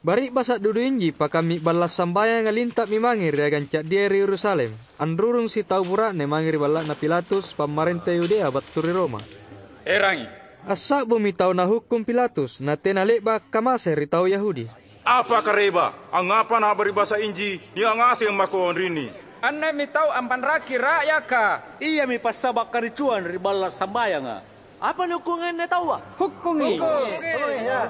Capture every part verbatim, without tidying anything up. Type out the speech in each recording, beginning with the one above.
Bari'basa' duduinji pakammi balla' sambayanga linta'mi mange ri agang ca'dia ri Yerusalem, anrurung sitau bura'ne mange ri balla'na Pilatus, pammarenta Yudea battu ri Roma. "Erangi!" Assa'bumi tau nahukkung Pilatus, natena le'ba' akkamase ri tau Yahudi. "Apa kareba? Angngapa na'bari' basa' inji nia' ngaseng mako anrinni?" "Anne'mi tau ampanraki ra'yaka. Iami passaba' karicuang ri balla' sambayanga." "Apa nihukkung anne taua?" "Hukkungi!"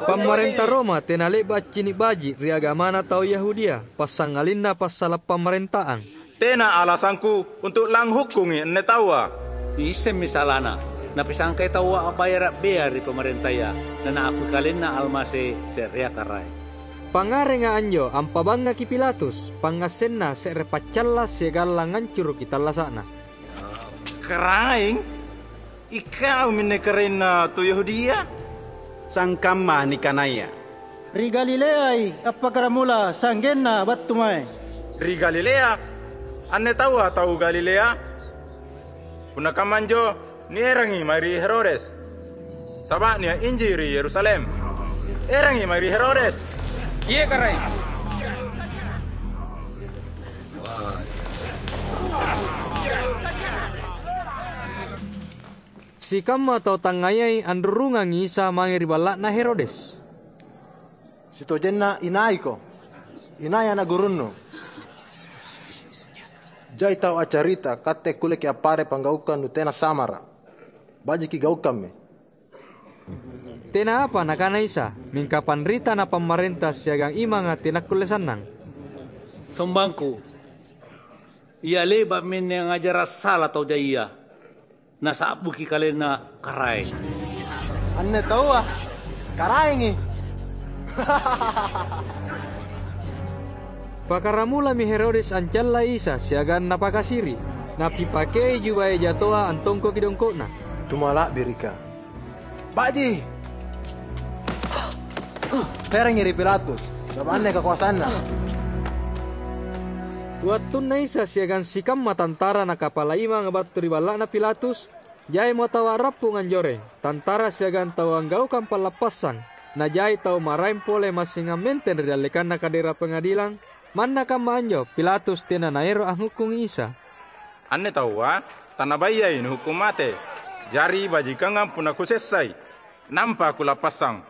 Pammarenta Roma tena le'ba' accini' baji' ri agamana tau Yahudia, passangalinna passala' pamarentang. "Tena alasangku untu' langhukkungi anne taua." Niissemmi salana. Napisangkai taua a'bayara' bea ri pamarentaya, na naakui kalenna Almasi se'rea Karaeng. Pangngarenga anjo ampabangngaki Pilatus, pangngassenna se're paccalla siagang langngancuruki tallasa'na. "Karaeng? Ikau minne Karaenna tu Yahudia?" "Sangkamma nikanaya." "Ri Galileai appakkaramula sa'genna battu mae." "Ri Galilea? Anne taua tau Galilea? Punna kamma anjo, nierangi mae ri Herodes, saba' nia' inji ri Yerusalem. Erangi mae ri Herodes!" "Iye, Karaeng." Sikamma tau tangngayai anrurungangi Isa mange ri balla'na Herodes. "Sitojenna inaiko, inai ana' gurunnu. Jai tau accarita katte kulleki appare' panggaukang nutena samara'. Baji'ki gaukammi." Tena apa nakana Isa, mingka panrita na pammarenta siagang imanga tenakkulle sannang. "Sombangku, ia le'ba'mi anne angngajara' sala tau jaia, nasa'buki kalenna Karaeng." "Anne taua Karaengi!" Pakkaramulami Herodes ancallai Isa siagang napakasiri'. Napipakei jubaya jatoa antongkoki dongko'na. "Tumala'birika! Baji'! Terangi ri Pilatus, saba' anne kakoasanna." Wattunna Isa siagang sikamma tantara na kapala imanga battu ri balla'na Pilatus, jaimo tau a'rappung anjoreng, tantara siagang tau anggaukang pallappassang, na jai tau maraeng pole massing ammenteng ri dallekanna kadera pangadilang. Manna kamma anjo, Pilatus tena naero' anghukkungi Isa. "Anne taua tanabayai nuhukkung mate. Jari bajikangang punna kusessai, nampa kulappassang."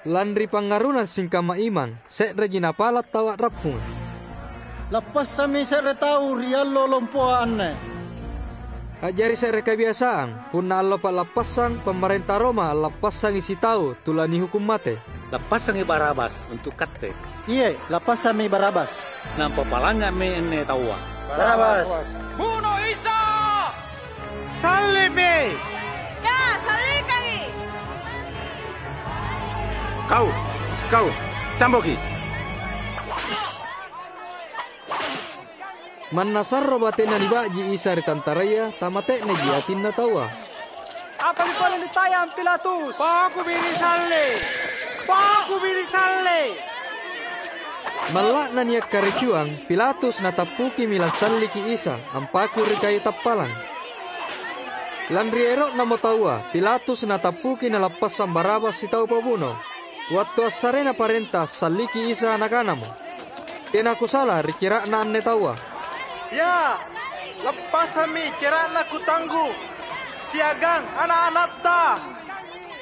Lanri pangngaruna singkamma imang, se'reji napala' tau a'rappunga. "Lappassammi se're tau ri allo lompoa anne." A'jari se're kabiasang, punna allo pa'lappassang, pamarenta Roma allappassangi sitau tu lanihukkung mate. "Lappassangi Barabas untu' katte." "Iye, lappassammi Barabas." "Nampa palangnga'mi anne taua." "Barabas!" "Buno Isa!" "Salli'mi!" "Ya, sallikangi!" "Kau, kau, camboki!" Manna sarro batena niba'ji Isa ri tantaraya, tamate'neji atinna taua. "Apami pole nitayang, Pilatus? Pakubi ri salle! Pakubi ri salle!" Malla'na nia' karicuang, Pilatus natappukimi lassalliki Isa ampaku ri kayu tappalang. Lanri ero'namo taua, Pilatus natappuki nalappassang Barabas sitau pabuno. Wattu assarena parenta assalliki Isa, nakanamo, "Tena kusala ri cera'na anne taua." "Ya, lappassammi cera'na kutanggu, siagang ana'-ana'ta."